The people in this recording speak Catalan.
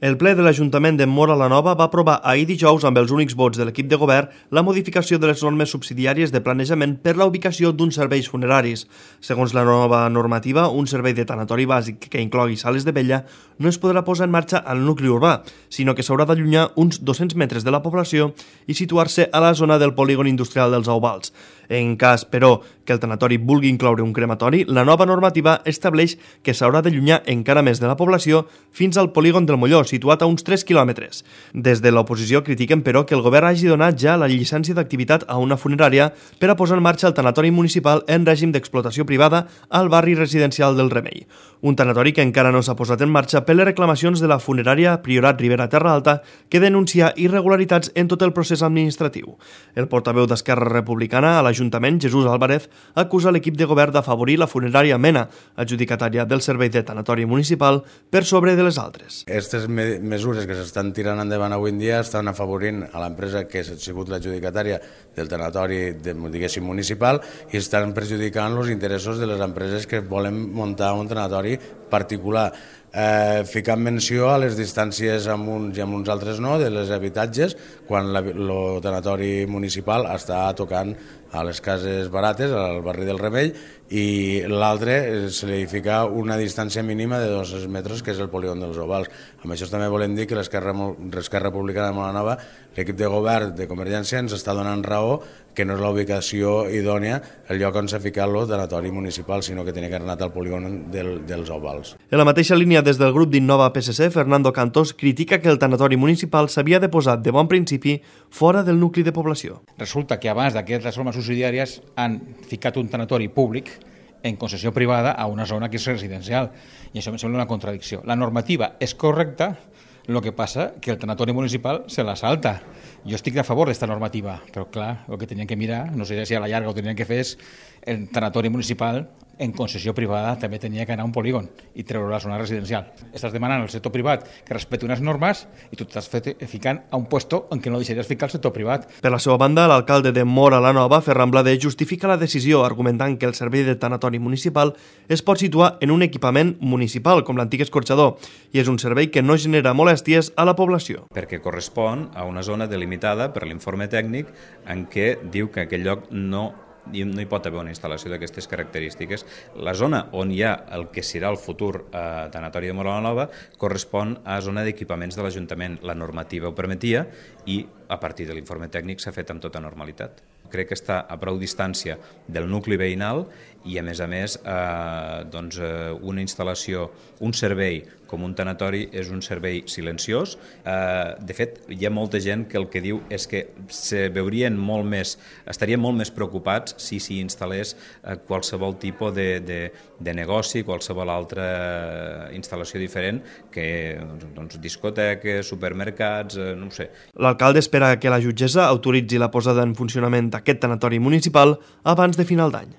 El ple de l'Ajuntament de Móra la Nova va aprovar ahir dijous amb els únics vots de l'equip de govern la modificació de les normes subsidiàries de planejament per la ubicació d'uns serveis funeraris. Segons la nova normativa, un servei de tanatori bàsic que inclogui sales de vella no es podrà posar en marxa al nucli urbà, sinó que s'haurà d'allunyar uns 200 metres de la població i situar-se a la zona del polígon industrial dels Auvals. En cas, però, que el tanatori vulgui incloure un crematori, la nova normativa estableix que s'haurà d'allunyar encara més de la població fins al polígon del Molló, situat a uns 3 quilòmetres. Des de l'oposició critiquen, però, que el govern hagi donat ja la llicència d'activitat a una funerària per a posar en marxa el tanatori municipal en règim d'explotació privada al barri residencial del Remei. Un tanatori que encara no s'ha posat en marxa per les reclamacions de la funerària Priorat Ribera Terra Alta, que denuncia irregularitats en tot el procés administratiu. El portaveu d'Esquerra Republicana a l'Ajuntament, Jesús Álvarez, acusa l'equip de govern d'afavorir la funerària Mena, adjudicatària del servei de tanatori municipal, per sobre de les altres. Aquestes mesures que s'estan tirant endavant avui en dia estan afavorint a l'empresa que ha sigut l'adjudicatària del tanatori, diguéssim, municipal, i estan perjudicant els interessos de les empreses que volen muntar un tanatori particular. Ficant menció a les distàncies amb uns i amb uns altres no, de les habitatges, quan el tanatori municipal està tocant a les cases barates, al barri del Remei, i l'altre se li fica una distància mínima de 200 metres, que és el polígon dels Ovals. Amb això també volem dir que l'Esquerra Republicana de Móra la Nova, l'equip de govern de Convergència, ens està donant raó que no és la ubicació idònia el lloc on s'ha ficat el tanatori municipal, sinó que tenia que anar al polígon dels Ovals. En la mateixa línia, des del grup d'Innova PSC, Fernando Cantós critica que el tanatori municipal s'havia de posar de bon principi fora del nucli de població. Resulta que abans d'aquestes normes subsidiàries han ficat un tanatori públic en concessió privada a una zona que és residencial, i això em sembla una contradicció. La normativa és correcta, el que passa que el tanatori municipal se la salta. Jo estic a favor d'esta normativa, però clar, el que tenien que mirar, no sé si a la llarga ho tenien que fer, és el tanatori municipal en concessió privada també tenia que anar a un polígon i treure la zona residencial. Estàs demanant al sector privat que respecti unes normes i tu t'estàs ficant a un puesto en què no deixaries ficar el sector privat. Per la seva banda, l'alcalde de Móra la Nova, Ferran Blader, justifica la decisió argumentant que el servei de tanatori municipal es pot situar en un equipament municipal, com l'antic escorxador, i és un servei que no genera molèsties a la població. Perquè correspon a una zona delimitada per l'informe tècnic en què diu que aquell lloc no hi pot haver una instal·lació d'aquestes característiques. La zona on hi ha el que serà el futur tanatori de Móra la Nova correspon a zona d'equipaments de l'Ajuntament. La normativa ho permetia i a partir de l'informe tècnic s'ha fet amb tota normalitat. Crec que està a prou distància del nucli veïnal i, a més, una instal·lació, un servei com un tanatori és un servei silenciós. De fet, hi ha molta gent que el que diu és que estarien molt més preocupats si s'hi instal·lés qualsevol tipus de negoci, qualsevol altra instal·lació diferent, que discoteques, supermercats, no ho sé. L'alcalde espera que la jutgessa autoritzi la posada en funcionament d'aquest tanatori municipal abans de final d'any.